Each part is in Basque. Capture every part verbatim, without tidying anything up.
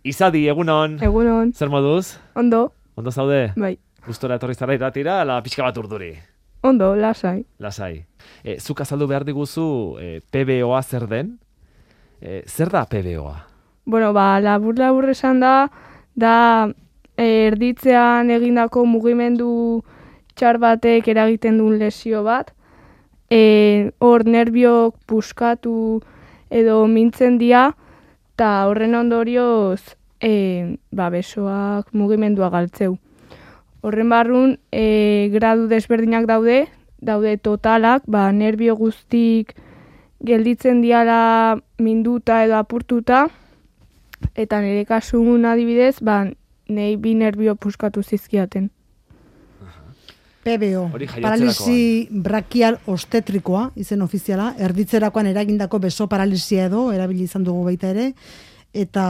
Izadi, egunon. Egunon. Zer moduz? Ondo. Ondo zaude? Bai. Gustora etorri zara iratira, ala pixka bat urduri. Ondo, lasai. Lasai. E, zuk azaldu behar diguzu e, P B O A zer den? E, zer da P B O A? Bueno, ba, labur-labur esan da, da e, erditzean egindako mugimendu txar batek eragiten duen lesio bat. E, hor nerbiok puskatu edo mintzen dira, eta horren ondorioz e, ba, besoak mugimendua galtzeu. Horren barrun, e, gradu desberdinak daude, daude totalak, ba, nerbio guztik gelditzen diala minduta edo apurtuta, eta nire kasun adibidez, ba, nahi bi nerbio puskatu zizkiaten. P B O, paralisi brakial ostetrikoa, izen ofiziala, erditzerakoan eragindako beso paralisia edo, erabili izan dugu baita ere, eta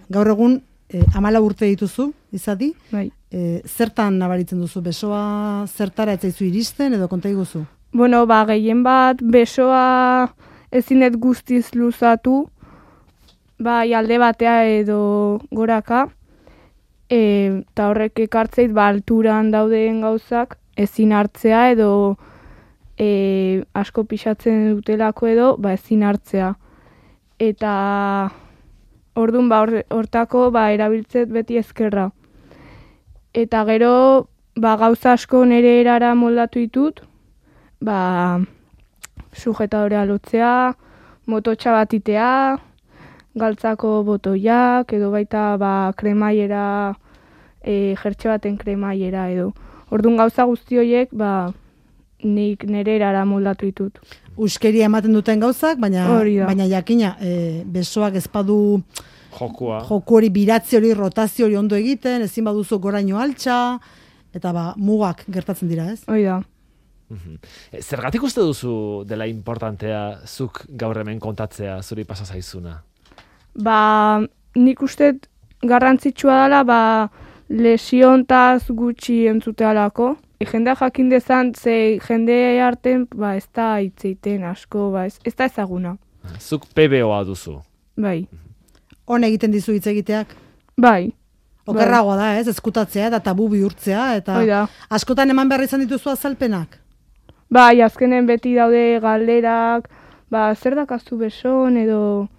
gaur egun e, amala urte dituzu, izadi? Bai. E, zertan nabaritzen duzu, besoa zertara etzaizu iristen edo konta iguzu? Bueno, ba, gehien bat besoa ezinet guztiz luzatu, bai alde batea edo goraka, e, eta horrek ekartzeit ba, alturan dauden gauzak, ezin hartzea edo e, asko pixatzen dutelako edo ba, ezin hartzea. Eta orduan ba, hortako ba, erabiltzet beti ezkerra. Eta gero ba, gauza asko nire erara moldatu ditut, ba, sujetadorea lotzea, mototxa batitea, galtzako botoiak, edo baita ba, kremaiera, e, jertxe baten kremaiera edo. Orduan gauza guzti horiek, ba, nik nire erara moldatu ditut. Uskeria ematen duten gauzak, baina, baina jakina, e, besoak ezpadu jokua. Joku hori, biratzi hori, rotazio hori ondo egiten, ezin baduzu goraino altxa, eta ba, mugak gertatzen dira, ez? Hoi da. Zergatik uste duzu dela importantea zuk gaur hemen kontatzea zuri pasa zaizuna? Ba, nik uste garrantzitsua dela, ba, lesiontaz gutxi entzutealako. E, jendea jakin dezan, ze jende arten, ba, ez da hitzeiten asko, ba, ez, ez da ezaguna. Zuk P B O A duzu? Bai. Hone egiten dizu hitz egiteak? Bai. Okerragoa da, ez, ezkutatzea eta tabu bihurtzea, eta askotan eman behar izan dituzu azalpenak? Bai, azkenen beti daude galderak, ba, zer dakazu beson, edo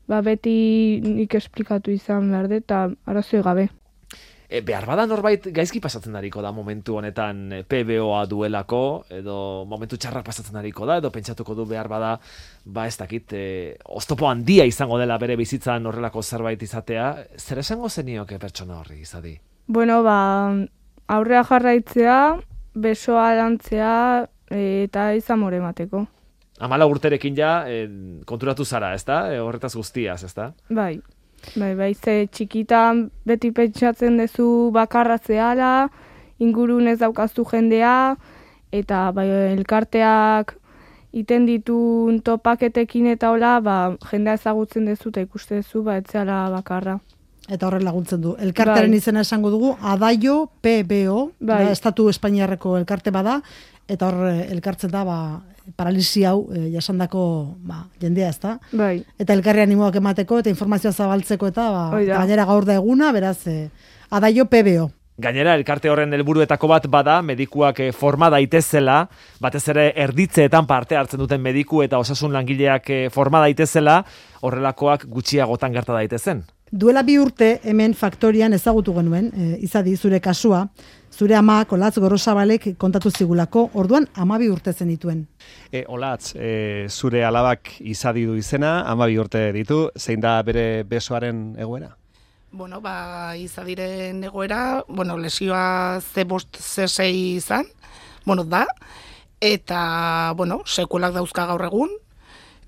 ba, beti nik esplikatu izan behar dut, eta arazoi gabe. E, behar bada norbait gaizki pasatzen dariko da momentu honetan P B O A duelako, edo momentu txarrak pasatzen dariko da, edo pentsatuko du behar bada, ba ez dakit, e, oztopo handia izango dela bere bizitzan horrelako zerbait izatea, zer esango zenioke pertsona horri izadi? Bueno, ba, aurrea jarraitzea, besoa lantzea, e, eta izan more emateko. Amala urterekin ja, e, konturatu zara, ezta? E, horretaz guztiaz, ezta? Bai. Bai, bai, ze txikitan beti pentsatzen duzu bakarra zehala, ingurun ez daukazu jendea, eta bai, elkarteak iten ditun topaketekin eta hola, ba, jendea ezagutzen duzu eta ikuste duzu, ba, ez zehala bakarra. Eta horren laguntzen du. Elkartearen bai. Izena esango dugu, Adaio P B O, bai. Da, Estatu Espainiarreko elkarte bada, eta hor elkartzen da, ba, paralisi hau e, jasandako ba, jendea, ez da? Bai. Eta elkarri animoak emateko, eta informazioa zabaltzeko, eta ba, gainera gaur da eguna, beraz, e, Adaio P B O. Gainera, elkarte horren helburuetako bat bada, medikuak forma daitezela, batez ere erditzeetan parte hartzen duten mediku eta osasun langileak forma daitezela, horrelakoak gutxiagotan gerta daitezen. Duela bi urte hemen faktorian ezagutu genuen, e, izadi zure kasua, zure amak Olatz Gorosabalek kontatu zigulako, orduan hamabi urte zen dituen. E, Olatz, e, zure alabak izadi du izena, hamabi urte ditu, zein da bere besoaren egoera? Bueno, ba, izadiren egoera, bueno, lesioa ze bost ze sei izan, bueno, da, eta, bueno, sekuelak dauzka gaur egun,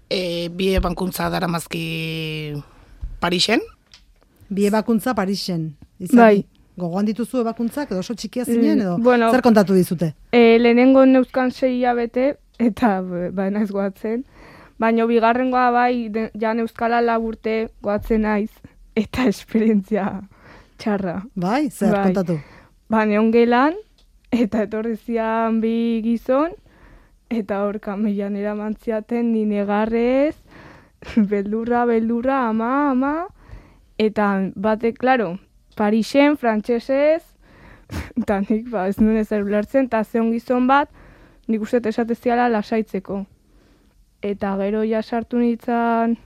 e, bi ebankuntza daramazki Parisen. Bi ebakuntza Parisen, izadi. Bai. Gogoan dituzu ebakuntzak, edo oso txikia zinen, edo bueno, zer kontatu dizute? E, lehenengo neuzkan sei hilabete, eta ba, naiz goatzen, baina bigarrengoa bai, de, ja neuzkala laburte goatzen naiz, eta esperientzia txarra. Bai, zer bai. Kontatu? Ba, neon gelan, eta etorri zian bi gizon, eta hor kameian eramantziaten ni negarrez, beldurra, beldurra, ama, ama, eta batek, klaro, Parisen, frantsesez, eta nik, ba, ez nuen ezer ulertzen, eta zeon gizon bat, nik uste esateziala lasaitzeko. Eta gero ja sartu nintzen,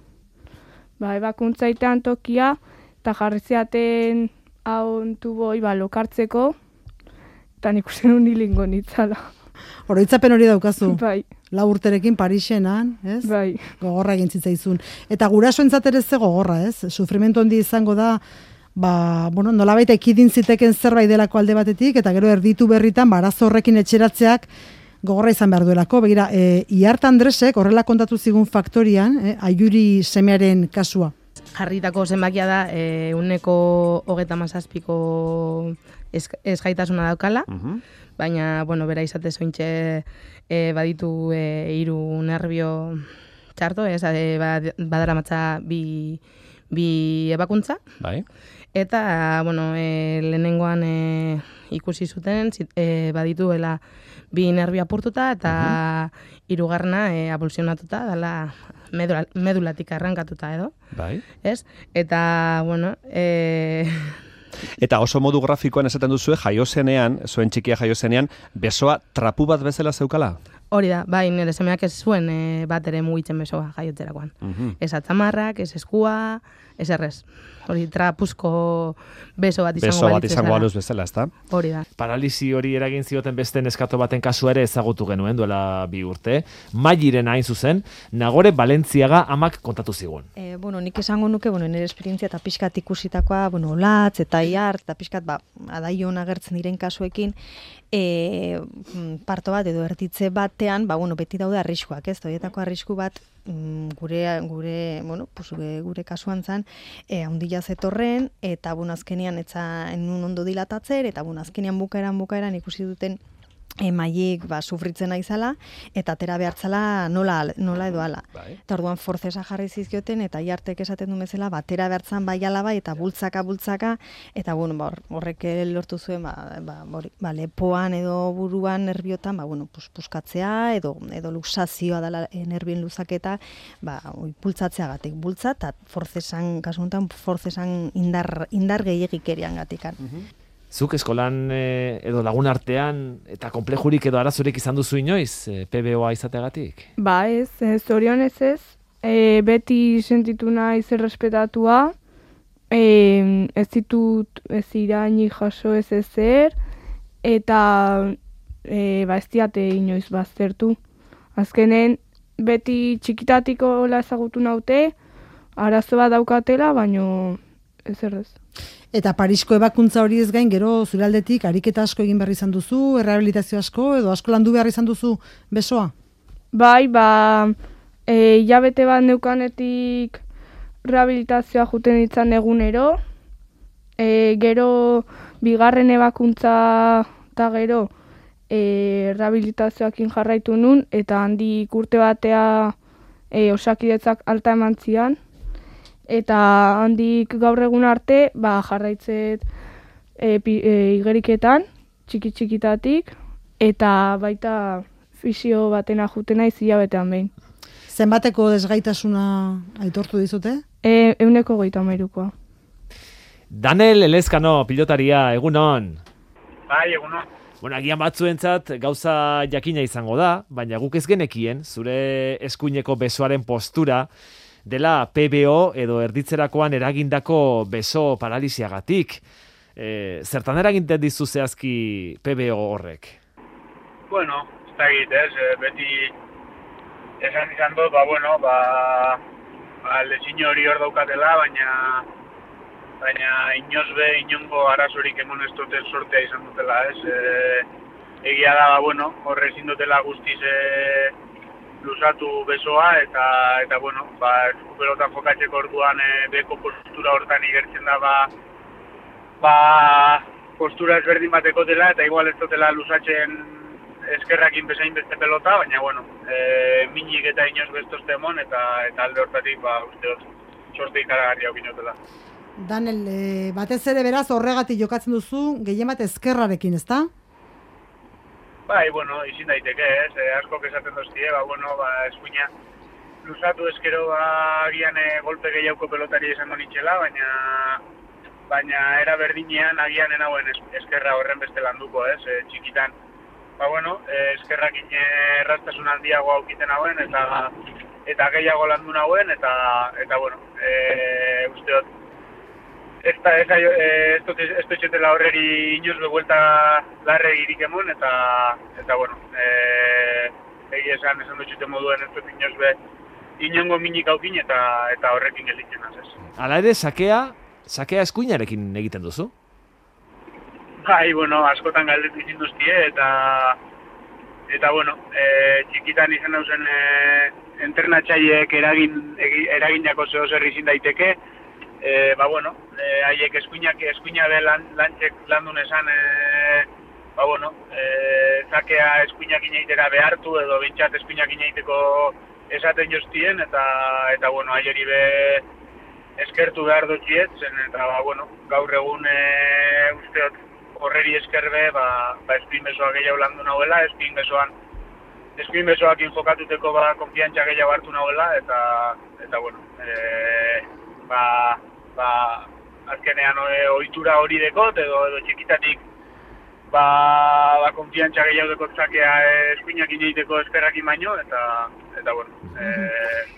ba, ebakuntzaitean tokia, eta jarri ziaten hau tuboi, ba, lokartzeko, eta nik uste nun hilingo nitzala. Oroitzapen hori daukazu. Bai. Lau urterekin Parisenan, ez? Bai. Gogorra egin zitzaizun. Eta gurasoentzat ere ze gogorra, ez? Sufrimentu handi izango da, ba, bueno, nolabait ekidin ziteken zerbait delako alde batetik, eta gero erditu berritan, ba, arazo horrekin etxeratzeak gogorra izan behar duelako. Begira, e, Iart Andresek horrela kontatu zigun faktorian, e, Aiuri semearen kasua. Jarritako zenbakia da, e, uneko hogeta mazazpiko esgaitasuna daukala, uh-huh. Baina, bueno, bera izate zointxe e, baditu e, hiru nervio txarto, ez, e, badara matza bi, bi ebakuntza. Bai. Eta, bueno, e, lehenengoan e, ikusi zuten, e, badituela bi nervio apurtuta, eta uh-huh. hirugarrena e, abulsionatuta, dala medula, medulatik arrankatuta edo. Bai. Ez? Eta, bueno, e, eta oso modu grafikoan esaten duzue, jaiozenean, zuen txikia jaiozenean, besoa trapu bat bezala zeukala? Hori da, bai, nire semeak ez zuen e, bat ere mugitzen besoa jaiotzerakoan. Uh-huh. Ez atzamarrak, ez eskua, ez errez. Hori trapuzko beso bat izango beso bat izango baluz bezala, ezta? Hori da. Paralisi hori eragin zioten beste neskato baten kasu ere ezagutu genuen duela bi urte. Mairen hain zuzen, Nagore Balentziaga amak kontatu zigun. E, bueno, nik esango nuke, bueno, nire esperientzia eta pixkat ikusitakoa, bueno, latz eta iart, eta pixkat, ba, adaion agertzen diren kasuekin, e, parto bat edo ertitze batean, ba, bueno, beti daude arriskuak, ez? Horietako arrisku bat, gure gure bueno pues gure kasuan zan eh handia zetorren eta bueno azkenian etza enun ondo dilatatzer eta bueno azkenian bukaeran bukaeran ikusi duten emaiek ba sufritzen naizala eta atera behartzala nola nola edo hala. Bai. Eta orduan forcesa jarri zizkioten eta Iartek esaten du bezala batera behartzan bai ala bai eta bultzaka bultzaka eta bueno ba horrek lortu zuen ba ba, ba lepoan edo buruan nerbiotan ba bueno pues puskatzea edo edo luxazioa dela e, nerbien luzaketa ba oi pultzatzeagatik bultza ta forcesan kasu honetan forcesan indar indar gehiegikeriangatikan. Uh-huh. Zuk eskolan e, edo lagun artean eta konplejurik edo arazorik izan duzu inoiz e, P B O-a izateagatik? Ba ez, zorionez ez, e, beti sentitu naiz errespetatua, e, ez ditut ez iraini jaso ez ezer, eta e, ba ez diate inoiz baztertu. Azkenen beti txikitatiko la ezagutu naute, arazo bat daukatela, baino ez errez. Eta Parisko ebakuntza hori ez gain, gero zure aldetik ariketa asko egin behar izan duzu, errehabilitazio asko, edo asko landu behar izan duzu besoa? Bai, ba, e, hilabete bat neukanetik rehabilitazioa juten itzan egunero, e, gero bigarren ebakuntza eta gero e, rehabilitazioakin jarraitu nun, eta handik urte batea e, osakidetzak alta eman zian. Eta handik gaur egun arte, ba, jarraitzet e, e, igeriketan, txiki-txikitatik, eta baita fisio batena jutena izia betean behin. Zenbateko desgaitasuna aitortu dizute? E, euneko goita mairukoa. Daniel Elezkano, pilotaria, egunon? Bai, egunon. Bueno, agian batzuentzat gauza jakina izango da, baina guk ez genekien, zure eskuineko besoaren postura, dela P B O edo erditzerakoan eragindako beso paralisiagatik. E, zertan eraginten dizu zehazki P B O horrek? Bueno, ez da egit, ez, beti esan izan dut, ba, bueno, ba, ba lezin hori hor daukatela, baina baina inoz be, inongo arazorik emon ez duten sortea izan dutela, ez. E, egia da, ba, bueno, horre ezin dutela guztiz e, luzatu besoa eta eta bueno, ba eskupelotan jokatzeko orduan e, beko postura hortan igertzen da ba ba postura ezberdin bateko dela eta igual ez dutela luzatzen eskerrakin bezain beste pelota, baina bueno, e, minik eta inoz bestozte emon eta eta alde hortatik ba uste dut sorte ikaragarria okinotela. Daniel, e, batez ere beraz horregatik jokatzen duzu gehien bat eskerrarekin, ezta? Bai, bueno, izin daiteke, ez, eh, asko esaten doztie, ba, bueno, ba, eskuina luzatu eskero ba, agian e, golpe gehiago pelotari esango nitxela, baina baina era berdinean agian enauen eskerra horren beste landuko, ez, e, txikitan. Ba, bueno, e, eskerrakin erraztasun handiago aukiten hauen, eta eta gehiago landu nauen, eta, eta bueno, e, usteot, ez da, ez da, ez dut etxetela horreri inoz behuelta larre girik emon, eta, eta bueno, e, egi esan, esan dutxute moduen ez dut inoz be, inongo minik aukin, eta, eta horrekin gelditzen az, ez. Hala ere, sakea, sakea eskuinarekin egiten duzu? Bai, bueno, askotan galdetu izin duztie, eta, eta bueno, e, txikitan izan dauzen e, entrenatxaiek eragin, eraginako zeo zer izin daiteke, e, ba bueno, e, haiek eskuinak, eskuina be lan, lantxek landun esan, e, ba bueno, e, zakea eskuinak inaitera behartu, edo bintzat eskuinak inaiteko esaten joztien, eta, eta bueno, haieri be eskertu behar dutxiet, zen, eta ba bueno, gaur egun e, usteot, horreri eskerbe, ba, ba eskuin besoa gehiago landu nahuela, eskuin besoan, eskuin besoakin jokatuteko ba, konfiantza gehiago hartu nahuela, eta, eta bueno, e, ba, ba, azkenean e, ohitura hori dekot, edo, edo txikitatik, ba, ba konfiantza gehiago dekot zakea eskuinak ineiteko eskerrakin baino, eta, eta bueno, e,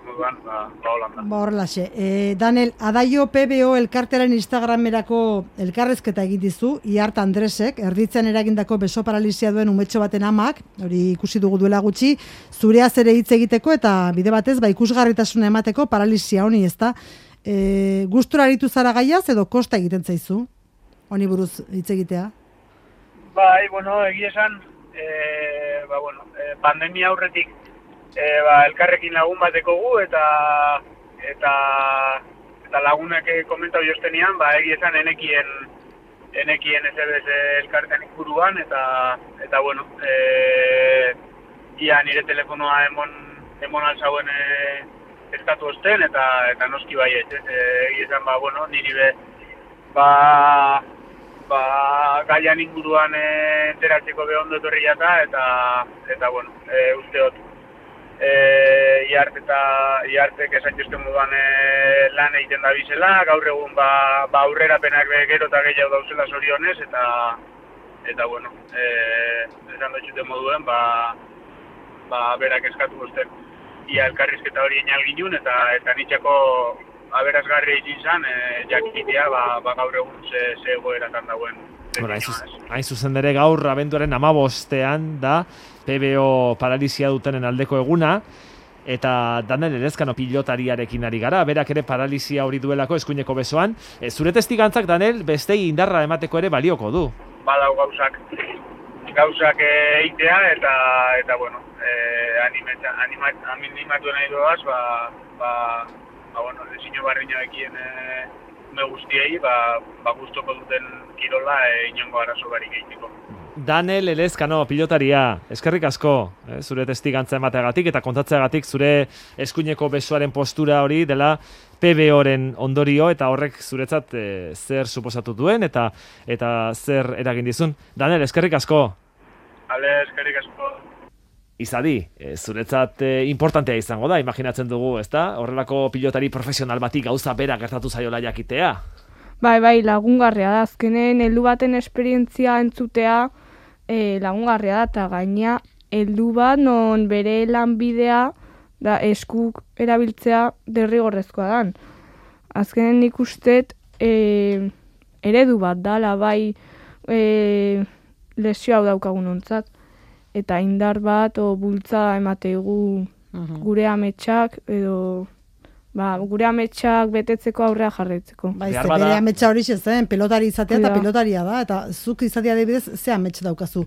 moduan, ba, ba holanda. Ba horrelaxe. E, Daniel, Adaio P B O elkartearen Instagramerako elkarrezketa egin dizu, Iart Andresek, erditzen eragindako beso paralisia duen umetxo baten amak, hori ikusi dugu duela gutxi, zureaz ere hitz egiteko eta bide batez, ba ikusgarritasuna emateko paralisia honi, ezta? E, gustura aritu zara gaiaz edo kosta egiten zaizu? Honi buruz hitz egitea? Bai, bueno, egia esan, e, ba, bueno, e, pandemia aurretik E, ba, elkarrekin lagun bateko gu, eta eta, eta lagunak komentau joztenian, ba, egia esan enekien, enekien ez ebez elkarten inguruan, eta, eta bueno, e, ia nire telefonoa emon, emon alzauen e, eskatu osten, eta, eta noski bai ez, e, egia esan, ba, bueno, niri be, ba, ba, gaian inguruan e, enteratzeko behondo etorri jata, eta, eta bueno, e, usteot, E, iart eta iartek esan jozten moduan e, lan egiten da bizela, gaur egun ba, ba aurrerapenak gero eta gehiago dauzela zorionez, eta eta bueno, e, esan dutxuten moduen, ba, ba berak eskatu guzten ia elkarrizketa hori enal ginun, eta eta nitxako aberazgarri egin zan, e, jakitea ba, ba gaur egun ze, ze egoeratan dauen. Bueno, hain zuzen dere gaur abenduaren amabostean da P B O paralisia dutenen aldeko eguna, eta Daniel Elezkano pilotariarekin ari gara, berak ere paralisia hori duelako eskuineko besoan. E, zure testigantzak, Daniel, bestei indarra emateko ere balioko du. Badau gauzak, gauzak eitea, eta, eta bueno, e, animeta, animat, animatu nahi doaz, ba, ba, ba, bueno, desino barriñoekien e, me guztiei, ba, ba guztoko duten kirola e, inongo arazo barik egiteko. Daniel Elezkano pilotaria, eskerrik asko, eh, zure testigantza emateagatik eta kontatzeagatik zure eskuineko besoaren postura hori dela P B O-ren ondorio, eta horrek zuretzat eh, zer suposatu duen eta eta zer eragin dizun. Daniel, eskerrik asko. Ale, eskerrik asko. Izadi, e, zuretzat e, importantea izango da, imaginatzen dugu, ezta? Horrelako pilotari profesional bati gauza bera gertatu zaiola jakitea. Bai, bai, lagungarria da. Azkenen heldu baten esperientzia entzutea e, lagungarria da, eta gaina heldu bat non bere lanbidea da eskuk erabiltzea derrigorrezkoa dan. Azkenen nik ustet e, eredu bat dala, bai e, lesio hau daukagun ontzat. Eta indar bat o bultza emategu uh-huh. gure ametsak edo ba, gure ametsak betetzeko aurrea jarraitzeko. Ba, izte, bere ametsa hori zen, pelotari izatea eta pelotaria da, eta zuk izatea adibidez, ze amets daukazu?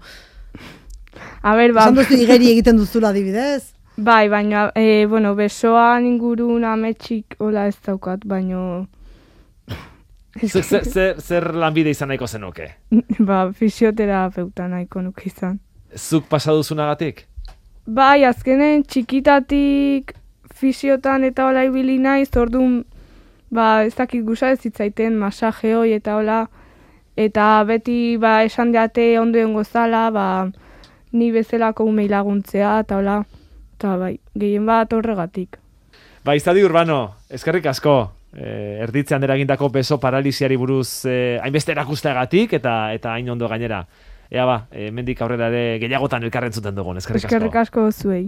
A ber, ba... Esan duzu igeri egiten duzula adibidez? Bai, baina, e, bueno, besoan ingurun ametsik hola ez daukat, baino... zer, zer, zer lanbide izan nahiko zenuke? Ba, fisioterapeuta nahiko nuke izan. Zuk pasaduzunagatik? Bai, azkenen txikitatik fisiotan eta hola ibili naiz, orduan, ba, ez dakit gusa ez zitzaiten masaje hoi eta hola, eta beti ba, esan deate ondoen gozala, ba, ni bezalako umei laguntzea eta hola, Eta bai, gehien bat horregatik. Ba, Izadi Urbano, eskerrik asko, eh, erditzean eragindako beso paralisiari buruz eh, hainbeste erakusteagatik eta eta hain ondo gainera. Ea ba, eh, mendik aurrera ere gehiagotan elkarren zuten dugun, eskerrik asko. Eskerrik asko zuei.